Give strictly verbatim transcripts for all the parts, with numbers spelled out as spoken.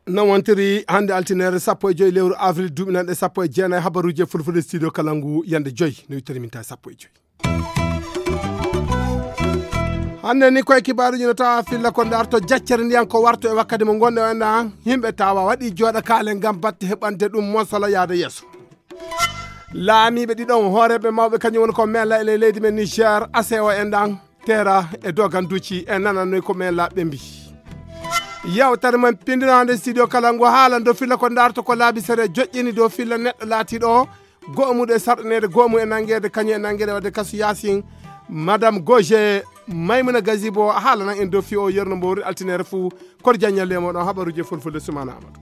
Non wontiri hannde altineere sappo e joy lewru avril duuɓi nanɗe sappo e jeenayi. Habaruuji e fulfulde studio kala ngu yande joy no wittiri min tawi sappo e joy. Hannde ni koye kibaaruuji no tawa filla ko ndarto jaccere ndiyan ko warto e wakkati mo ngonɗe o enɗa. Yimɓe tawa waɗi jooɗa kaale ngam batte heɓande ɗum mosala yaade yeeso. Laamiiɓe ɗiɗon hooreeɓe mawɓe kañum woni ko mela e leydi men niger ase o enɗan tera e doganduuji e nananoy ko men laɓɓe mbi. Yewtere men pindinaande studio kala ngu haala dow filla ko ndarto ko laabi sere joƴƴini dow filla neɗɗo laatiiɗo o go'o muɗum e sarɗineede go'o mum e nanngeede kañum e nanngeede wadde kasu yaasin. Madame goge maymuna gazibo haalanan en dow fi o yerno mbo wori altineere fuu. Koto jaññalle e moɗon habaruuji e fulfulde sumana amadou.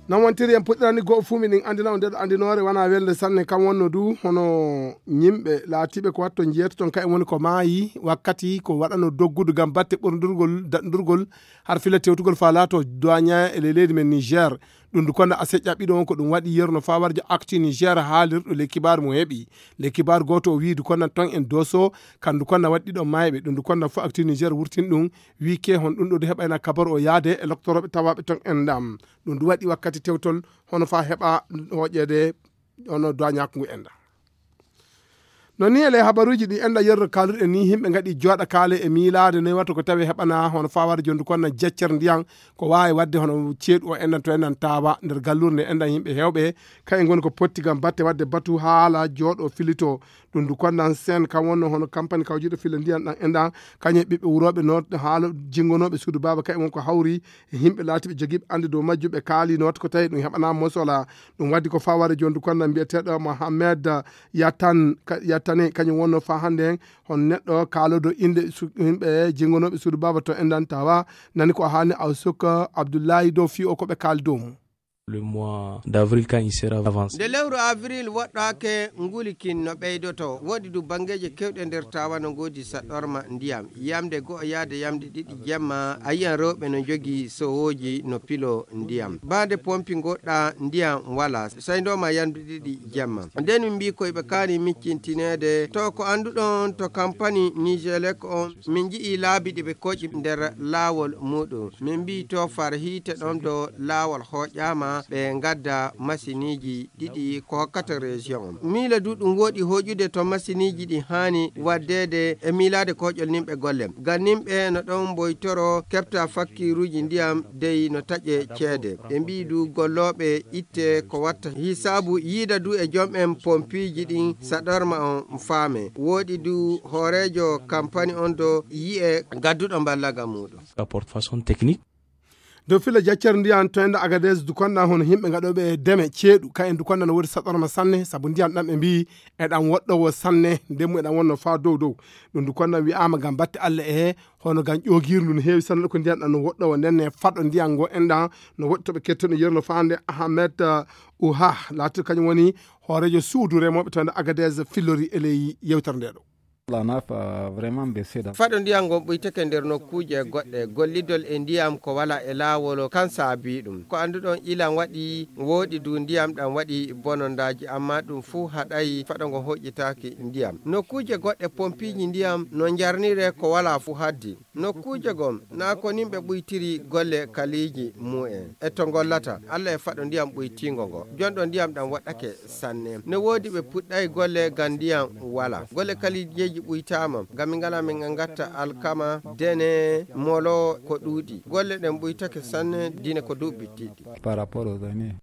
Non wontiri en puɗɗirani go'o fuu miɗen anndina on ndeɗo anndinoore wona welde sanne kam wonno du hono yimɓe laatiiɓe ko watto njeeto ton kayen woni ko maayi wakkati ko waɗano doggudu ngam batte ɓurdurgol daɗndurgol har fila tewtugol faa laato doignant e ley leydi men niger. Ɗum du konna a seƴƴa ɓiɗo on ko ɗum waɗi yerno faa warjo actu niger haalirɗo ley kibaaru mo heɓi ley kibaaru gooto o wiidu konna ton en doso kandu konna waɗi ɗiɗo maayɓe ɗum du konna fo actu niger wurtin ɗum. Wii ke hon ɗum ɗo du heɓayna kabaru o yaade e loktorooɓe tawaaɓe ton en ɗam. Ɗum du waɗi wakkati tewtol hono faa heɓa hooƴeede hono doignant ngu enɗa. No ni ele habaruuji ɗi enɗa yerro kaalirɗe ni yimɓe ngaɗi jooɗa kaale e miilaade noy watta ko tawi heɓana hono faa waɗa jondu kon na jeccere ndiyan ko waawi waɗde hono ceeɗu o enɗan to enɗan taawa nder galluure nde enɗan yimɓe heewɓe. Kayen ngoni ko potti ngam batte waɗde batu haala jooɗo filito. Ɗum du konnan sen kam wonno hono kampani kawjuɗo filla ndiyan ɗan enɗan kañum e ɓiɓɓe wurooɓe no haala jingonooɓe suudu baaba kayen won ko hawri e yimɓe laatiiɓe jogiiɓe annde dow majjum ɓe kaali noota ko tawi ɗum heɓanaa mosola. Ɗum waɗi ko faware jondu konnan mbiyeteeɗo mohammed yatan yatane kañum wonno faa hannde heen hono neɗɗo kaaloodo innde yimɓe jingonooɓe suudu baaba to enɗan tawa nani ko haani aw sukka abdullahi dow fii o ko ɓe kaali dow mum. Le mois d'avril quand il sera avancé. Nde lewru avril woɗɗaake ngulikin no ɓeydoto woodi du banngeeje kewɗe nder tawa no ngoodi saɗɗorma ndiyam yamde go'o yaade yamde ɗiɗi jemma a yiyan rewɓe no njogii sowooji no pilo ndiyam baade pompi ngoɗɗa ndiyam wala sayndooma yamde ɗiɗi jemma. Nden min mbii ko iɓe kaani miccintineede to ko annduɗon to kampani nigelek on min nji'i laabi ɗi ɓe koƴi nder laawol muɗum min mbii to far hiite ɗon do laawol hooƴaama ɓe ngadda masiniiji ɗiɗi ko hokkata région on miila du ɗum woɗi hoƴude to masiniiji ɗi haani waddeede e miilaade koƴol nimɓe golle ngam nimɓe no ɗon mboytoro keɓta fakkiiruuji ndiyam dey no taƴe ceede ɓe mbii du gollooɓe itte ko watta hisaabu yiida du e jom'en pompiiji ɗin saɗorma on faame woɗi du hooreejo kampani on do yi'e gadduɗo mballaga muɗum. Rapport façon technique. Dow filla jaccere ndiyan to enda agades du konɗan hono yimɓe gaɗoɓe deme ceeɗu kayen du konɗan no woodi saɗorma sanne sabu ndiyan ɗan ɓe mbii eɗan woɗɗowo sanne ndemmu eɗan wonno faa dow dow. Ɗum du konɗan wi'aama ngam batte allah e he hono ngam ƴoogirndu no heewi sanne ko ndiyan ɗan no woɗɗowo nden ne faɗo ndiyan ngo enɗan no woɗɗi to ɓe kettono yerno faa nde ahamed uha laati kañum woni hooreejo suudu remooɓe to enda agades fillori e ley yewtere nde ɗo. Faɗo ndiyan ngon ɓuytake nder nokkuuje goɗɗe gollidol e ndiyam ko wala e laawol kan saabi ɗum ko annduɗon ilan waɗi wooɗi du ndiyam ɗam waɗi bonondaaji amma ɗum fuu haɗay faɗo ngo hoƴƴitaaki ndiyam nokkuuje goɗɗe pompiiji ndiyam no njarnire ko wala fuu haddi nokkuuje gom naa ko nimɓe ɓuytiri golle kaliiji mu'en e to ngollata allah e faɗo ndiyam ɓuytiingo ngo jonɗo ndiyam ɗam waɗɗake sanne no woodi ɓe puɗɗay golle ngam ndiyam wala golle kaliijeeji ɓuytaama ngam min ngala min ngatta alkama dene molo ko ɗuuɗi golle ɗen ɓuytake sanne dine ko duuɓi tiɗɗi. Par rapport aux années.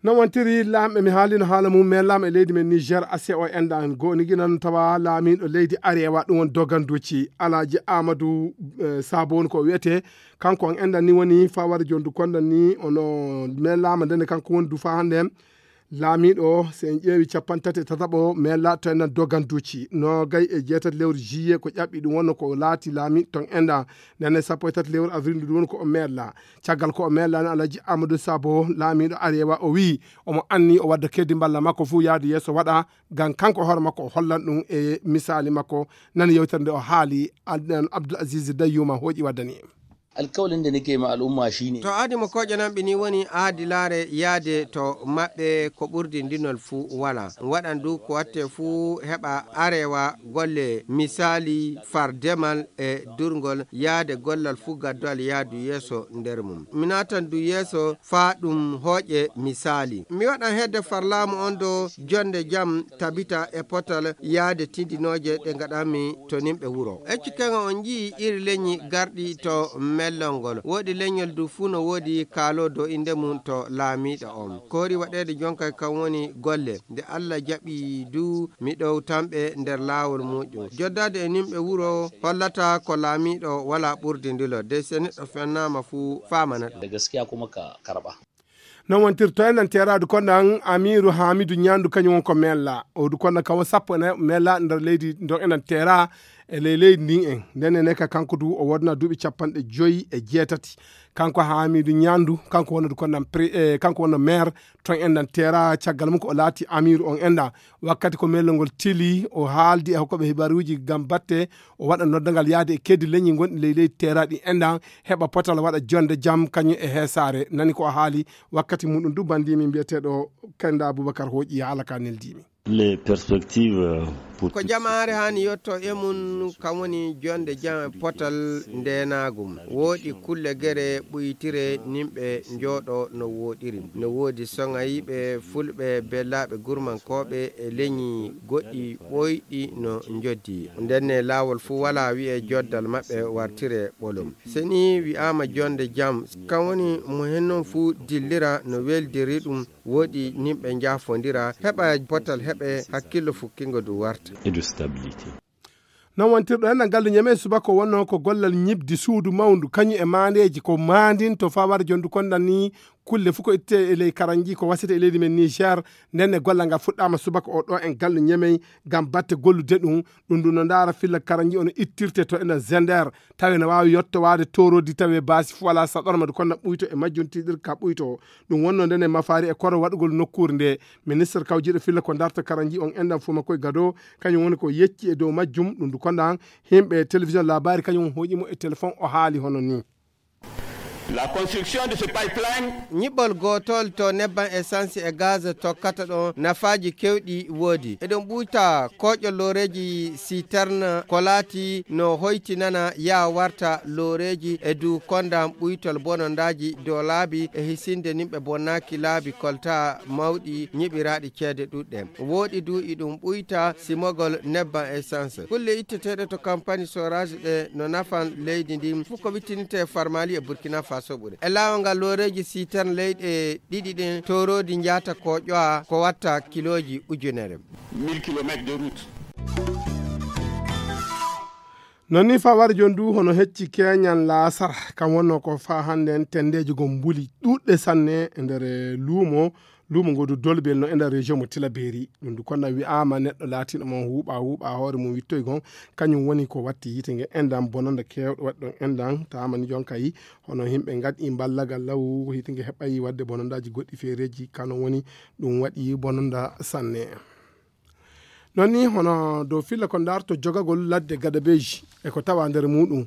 No wontiri laamɓe mi haalino haala mum men laam e leydi men niger ase o enɗan goo nigi nan tawa laamiiɗo leydi arewa ɗum won doganduuci alaaji amadou eh, sabo woni ko wiyetee kanko on enɗan ni woni faware jondu konɗan ni ono men laama ndene kanko woni du faa hannde laamiiɗo o so en ƴeewi capanɗe tati e tataɓo men laatoynan doganduuci noogay e jeetati lewru juillet ko ƴaɓɓi ɗum wonno ko laati laamiiɗo ton enɗan ndene sappo e tati lewru avril ndu ɗum woni ko o meerla caggal ko o meerlani alhaji amadou sabo laamiiɗo arewa o wii omo anni o wadda keddi mballa makko fuu yaade yeeso waɗa ngam kanko e hoore makko o hollan ɗum e misaali makko. Nani yewtere nde o haali adnan abdoul aziz dayyuma hooƴi waddani en. Alkawalin da nake ma al'umma shine. To aadi mo kooƴe nanɓe ni woni aadilaare yaade to maɓɓe ko ɓurdi ndinol fuu walaa. Waɗan du ko watte fuu heɓa arewa golle misaali far demal e durngol yaade gollal fuu gaddowal yaadu yeeso nder mum. Mi naatan du yeeso faa ɗum hooƴe misaali. Mi waɗan hedde far laamu on do jonde jam tabita e potal yaade tindinooje ɗe ngaɗanmi to nimɓe wuro. Eccu keŋa on nji'i iri lenyi garɗi to mellol ngol. Woodi lenyol du fuu no woodi kaalo do inde mum to laamiiɗo on. Ko hori waɗeede jonkay kan woni golle. Nde Allah jaɓi du mi ɗowtanɓe nder laawol muuɗum. Joddaade e nimɓe wuro hollata ko laamiiɗo walaa ɓurdi ndilo. De se neɗɗo fennaama fuu faamana ɗum. Da gaskiya kuma ka karɓa. Non wontirto en nan teeraadu kon nan Amiiru Haamidu Ñaandu kañum won ko mella. O du kon nan kawo sappo ene mella nder leydi ndo enen teera e ley leydi ndin en. Nden ene ka kanko du o wodna duuɓi capanɗe joyi e jeetati. Kanko Haamidu Ñaandu, kanko wonno du kon nan pri-, eh, kanko wonno maire ton en nan teera caggal mum ko o laati Amiiru on en nan. Wakkati ko mellol ngol tili, o haaldi e hokkooɓe hibaaruuji ngam batte, o waɗa noddangal yaade e keddi leñi gonɗi ley leydi teera ɗi en nan, heɓa potal waɗa jonde jam kañum e heesaare. Nani ko o haali wakkati muɗum du banndimi mbiyeteeɗo Kennda Abubakar hooƴi haala ka neldimi. Les perspectives, euh, pour Ko jamaare haani yotto e mum, kam woni jonde jam e potal ndeenaagum. Wooɗi kulle gere ɓuytire nimɓe njooɗo no wooɗiri. No woodi soŋayɓe, fulɓe, bellaaɓe gurmankooɓe e leñi goɗɗi ɓoyɗi no njoddi. Ndenne laawol fuu walaa wi'e joddal maɓɓe wartire ɓolum. Se ni wi'aama jonde jam, kam woni mo hen non fuu dillira no weldiri ɗum, woodi nimɓe njaafondira, heɓa potal heɓe hakkillo fukkingo du warta. Et de stabilité. Non wontirɗo en ngal ndu ñeme subaka o wonno ko gollal ñibdi suudu mawndu, kañum e maandeeji ko maandin to fawar jondu kon nan ni kulle fof ko itte e ley karanji ko wasete e leydi men Niger. Nden e gollal ngal fuɗɗaama subaka o ɗo en ngal ndu ñeme ngam batte gollude ɗum. Ɗum ndu no ndaara filla karanji ono ittirte to ena Zender. Tawi ene waawi yottowaade toorodi tawi e baasi fof alaa saɗorma ndu kon na ɓuyto e majjum tiiɗir ka ɓuyto. Ɗum wonno nden e mafaari e koro waɗugol nokkuure nde. Ministre kawjiiɗo filla ko darta karanji on enɗan fof makko e gado, kañum woni ko yecci e dow majjum. Ɗum ndu konɗan himɓe télévision labari kañum hooƴi mo e téléphone o haali hono ni. La construction de ce pipeline. Ñiɓɓol gootol to nebban essence e gaz tokkata ɗon nafaaji kewɗi woodi. Eɗon ɓuyta kooƴol looreeji citerne ko laati no hoytinana yaa warta looreeji e dow kondan ɓuytol bonondaaji dow laabi e hisinde nimɓe bonnaaki laabi kolta mawɗi ñiɓiraaɗi ceede ɗuɗɗe. Wooɗi du iɗum ɓuyta simogol nebban essence. Kulle itteteeɗe to kampani soraji ɗe no nafan leydi ndin fof ko wittininte Farmali e Burkina Faso ɓure. E laawol ngal looreeji siterne leyɗe ɗiɗi ɗin tooroodi njaata ko ƴowa ko watta kilooji ujunere. Mille kilomètres de route. Non ni fawar jon du hono hecci keñan laasara kam wonno ko fa hannde en tendeeji gom mbuli ɗuɗɗe sanne e nder luumo. Luumo ngo du dolbel no e nder région mo Tilaberi. Ɗum du konna wi'aama neɗɗo laatiiɗo mo huuɓa huuɓa hoore mum wittoy gon, kañum woni ko watti yiite nge endan bononda keewɗo waɗi ɗon endan taama ni jon kayi. Hono yimɓe ngaɗi mballagal law yiite nge heɓayi waɗde bonondaaji goɗɗi feereeji kano woni ɗum waɗi bononda sanne. Non ni hono dow filla ko darto jogagol ladde gadabeji e ko tawa nder muɗum.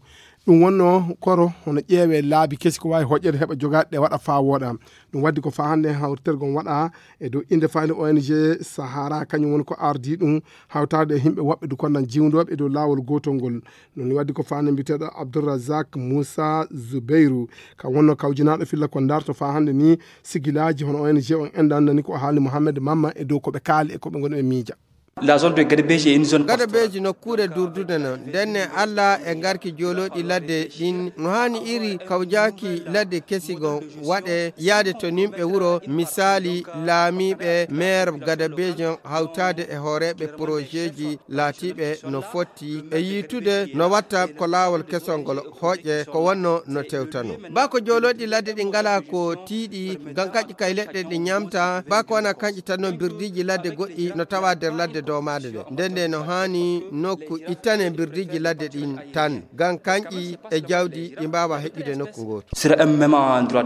Ɗum wonno koro hono ƴeewe laabi kesi ko waawi hoƴƴede heɓa jogaade ɗe waɗa faa wooɗa. Ɗum waddi ko faa hannde hawtergol waɗa e dow innde fayde O N G Sahara, kañum woni ko ardii ɗum hawtaade e yimɓe woɓɓe du konnan jiwndooɓe e dow laawol gootol ngol. Non ni waddi ko faa hannde mbiyeteeɗo Abdourazak Moussa Zubairu, ka wonno kawjinaaɗo filla ko darto faa hannde ni sigilaaji hono O N G on enɗan nani ko haali Mohamed Mamma e dow ko ɓe kaali e ko ɓe ngoni ɓe miija. La zone de Gadabeji est une zone Gadabeji nokkuure durdude non. Ndenne Allah e ngarki joolooɗi ladde ɗin no haani iri kawjaaki ladde kesigo waɗe yaade to nimɓe wuro misaali laamiiɓe maire Gadabeji on hawtaade e hooreeɓe projetji laatiiɓe no fotti e yiitude no watta ko laawol kesol ngol hooƴe ko wonno no tewtano. Baa ko joolooɗi ladde ɗi ngalaa ko tiiɗi, ngam kaƴƴi kay leɗɗe ɗe ñaamta, baa ko wona kañƴi tan no birdiiji ladde goɗɗi no tawa nder ladde doomaade ɗe. Nden nde no haani nokku ittane birdiiji ladde ɗin tan, ngam kañƴi e jawdi ɗi mbaawa heƴƴude nokku ngootu. Sur un même endroit.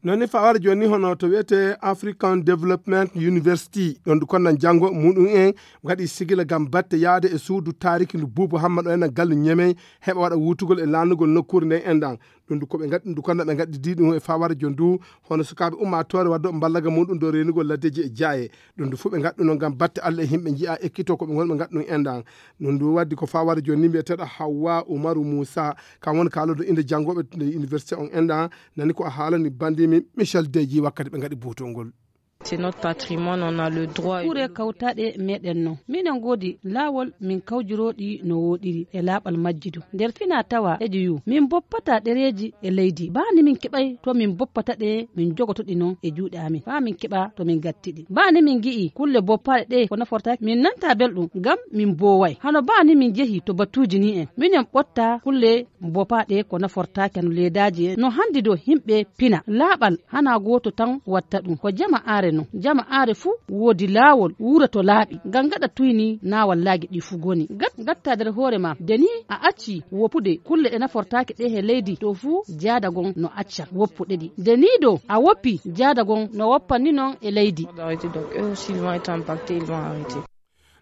Noon ni fawara jooni ni hono to wiyetee African Development University, ɗoon ndu konnan janngo muɗum en ngaɗi sigila ngam batte yahde e suudu taariki ndu Buubu Hamma ɗo enen galle Ñemey heɓa waɗa wuutugol e laanugol nokkuure nden enɗan. Ɗum ndu ko ɓe ngaɗi ɗum ndu konnan ɓe ngaɗi di ɗum e fawara jooni ndu hono sukaaɓe ummaatoore waddooɓe mballaga muɗum ɗo reenugol laddeeji e jaaye. Ɗum ndu fof ɓe ngaɗi ɗum noon ngam batte Allah e yimɓe njiya ekkito ko ɓe ngoni ɓe ngaɗi ɗum enɗan. Ɗum ndu waddi ko fawara jooni ni mbiyeteeɗo Hawwa Umaru Muusa, kam woni kaaloodo innde janngooɓe to université on enɗan. Nani ko a haalani banndimi Michel Deji wakkati ɓe ngaɗi buutol ngol. C'est notre patrimoine, on a le droit. Kure kawtaɗe meɗen no minen godi laawol min kawjirooɗi no woɗiri e laaɓal majji du nder fina tawa eji yu min boppata ɗereeji e leydi baa ni min keɓay to min boppata ɗe min jogotoɗi non e juuɗe amin faa min keɓa to min gattiɗi baa ni min gi'i kulle boppaaɗe ɗe ko nafortaaki min nanta belɗum ngam min booway hano baa ni min jehi to batuuji ni en minen ɓotta kulle boppaaɗe ko nafortaaki hano leedaaji en no hanndi do yimɓe pina laaɓal hana gooto tan watta ɗum ko jama aare non jama aare fuu woodi laawol wuura to laaɓi ngam gaɗa tuyni na wallaagi ɗi fuu goni gat gatta nder hoore ma de ni a acci woppude kulle ɗe nafortaaki ɗe he leydi to fuu jaada gon no acca woppuɗe ɗi de ni do a woppi jaada gon no woppanni non e leydi. Arrêter, donc eux aussi ils vont être impactés, ils vont arrêter.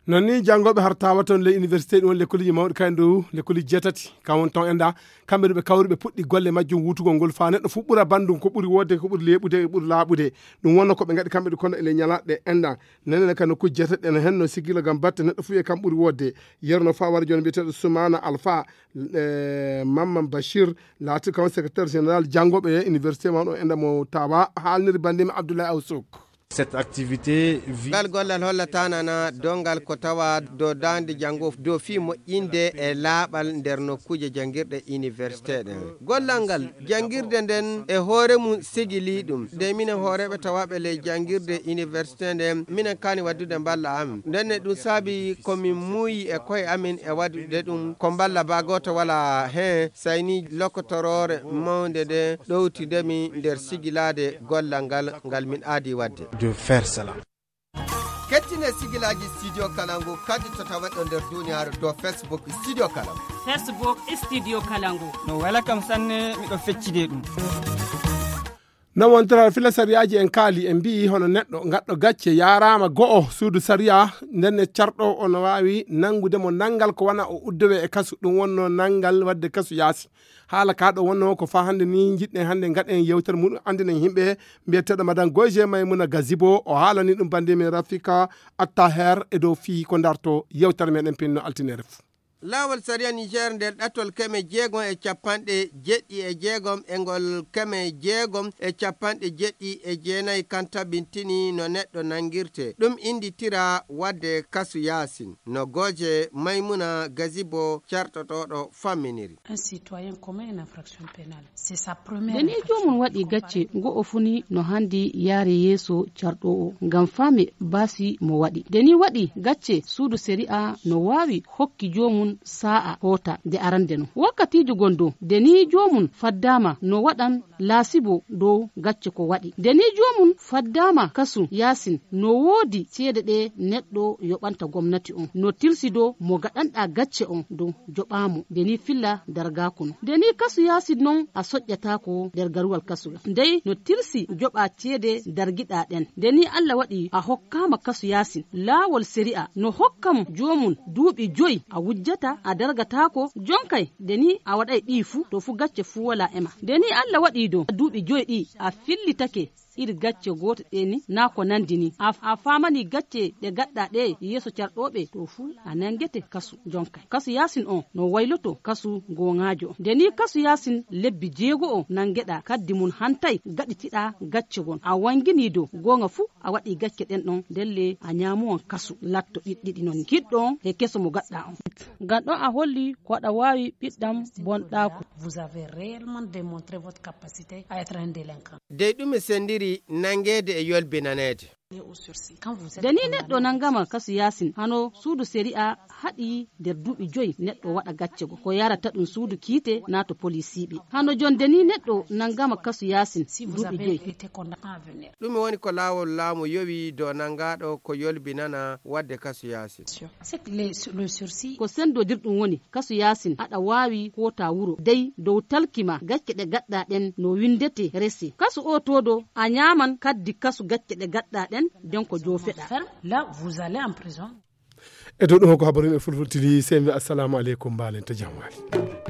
Noon ni janngooɓe har tawa toon ley université ɗum woni lekkoliji mawɗi kay dow lekkoliji jeetati kam woni toon enda kamɓe ɗo ɓe kawri ɓe puɗɗi golle majjum wutugol ngol faa neɗɗo fof ɓura banndum ko ɓuri woodde ko ɓuri leeɓude e ɓuri laaɓude. Ɗum wonno ko ɓe ngaɗi kamɓe ɗo kono ele ñalaɗe ɗe enda nenene ka nokkuji jeetati ɗen henno sigila ngam batte neɗɗo fof e kam ɓuri woodde. Yerno fawara jooni mbiyeteeɗo Soumana Alpha, eh, Mamman Bachir laati kam secrétaire général janngooɓe e université mawɗo enda mo tawa haalniri banndimi Abdoulaye Awsok. Cette activité vise. Ngal gollal hollataanana donngal ko tawa do daande janngo do fii moƴƴinde e laaɓal nder nokkuuje janngirɗe université ɗen. Gollal ngal janngirde nden e hoore mum sigilii ɗum. Nde minen hooreeɓe tawaaɓe ley janngirde université nden, minen kaani waddude mballa amen. Ndenne ɗum saabi ko min muuyi e koye amen e waɗude ɗum ko mballa baa gooto walaa heen, sayni lokotoroore mawnde nde ɗowtidemi nder sigilaade gollal ngal, ngal min aadi waɗde. De faire cela. Kettine sigilaaji Studio Kalangu kadi to taweɗo nder duniyaaru dow Facebook Studio Kalangu. Facebook Studio Kalangu. No wela kam sanne, miɗo feccide ɗum. No wontora fila sariyaaji en kaali, en mbiyi hono neɗɗo gaɗɗo gacce yaaraama go'o suudu sariya, ndenne carɗo o no waawi nanngude mo nanngal ko wona o uddowe e kasu. Ɗum wonno nanngal waɗde kasu yaasi. Haala ka ɗo wonno ko faa hannde ni njiɗɗen hannde ngaɗen yewtere muɗum anndinen yimɓe mbiyeteeɗo Madan Goje Maymuna Gazibo. O haalani ɗum bannde men Rafika Attaher e dow fii ko darto yewtere meɗen pinno altinere fuu. Laawol sariya Niger nder ɗatol keme jeegom e capanɗe jeɗɗi e jeegom e ngol keme jeegom e capanɗe jeɗɗi e jeenayi kan tabintini no neɗɗo nanngirte. Ɗum innditira waɗde kasu yaasin. No gooje Maymuna Gazibo carɗotooɗo famminiri. Un citoyen commet une infraction pénale. C'est sa première infraction. Nde ni joomum waɗi gacce, go'o fuu ni no hanndi yaare yeeso carɗoowo ngam faame baasi mo waɗi. Nde ni waɗi gacce, suudu sariya no waawi hokki joomum saa'a hoota nde arande non. Wakkatiijo gon dow, nde ni joomum faddaama no waɗan laasibo dow gacce ko waɗi. Nde ni joomum faddaama kasu yaasin, no woodi ceede ɗe neɗɗo yoɓanta gomnati on. No tilsi dow mo gaɗanɗaa gacce on dow joɓaa mo. Nde ni filla dargaaku non. Nde ni kasu yaasin non a soƴƴataako nder garuwal kasu. Ndey no tilsi joɓaa ceede dargiɗaa ɗen. Nde ni Alla waɗi a hokkaama kasu yaasin. Laawol sariya no hokkam joomum duuɓi joy a wujjata a dargataako jonkay. Nde ni a waɗay ɗii fuu to fuu gacce fuu walaa e ma. Nde ni Alla waɗi dow duuɓi joy ɗi a fillitake iri gacce goote ɗe ni naa ko nanndi ni. A, a faamani gacce ɗe gaɗɗaa ɗe yeeso carɗooɓe to fuu a nanngete kasu jonkay. Kasu yaasin on no wayloto kasu gooŋaajo. Nde ni kasu yaasin lebbi jeego o nanngeɗaa kaddi mum hantay gaɗitiɗaa gacce gon. A wanngini dow gooŋa fuu a waɗi gacce ɗen ɗon ndelle a ñaamuwan kasu latto ɗiɗɗiɗi non giɗɗo on e keso mo gaɗɗaa on. Ngam ɗon a holli ko aɗa waawi ɓiɗɗam bonɗaaku. Vous avez réellement démontré votre capacité à être un délinquant. Dey ɗum e senndiri nanngeede e yolbinaneede. Deni neɗɗo nanngama kasu yaasin hano suudu sari'a haɗi nder duuɓi joy neɗɗo waɗa gacce go ko yarata ɗum suudu kiite naa to poliisiiɓe. Hano jon deni neɗɗo nanngama kasu yaasin duuɓi joy. Ɗume woni ko laawol laamu yowi dow nanngaaɗo ko yolbinana waɗde kasu yaasin? Ko senndodirɗum woni kasu yaasin aɗa waawi koota wuro dey dow talki ma gacce ɗe gaɗɗaa ɗen no winndetee resee kasu oo toodo a ñaaman kaddi kasu gacce ɗe gaɗɗaa ɗen den ko joofeɗaa. E dow ɗum ko habaru men fulfultini sey mi assalamu aleykum mbaalen to jam waali.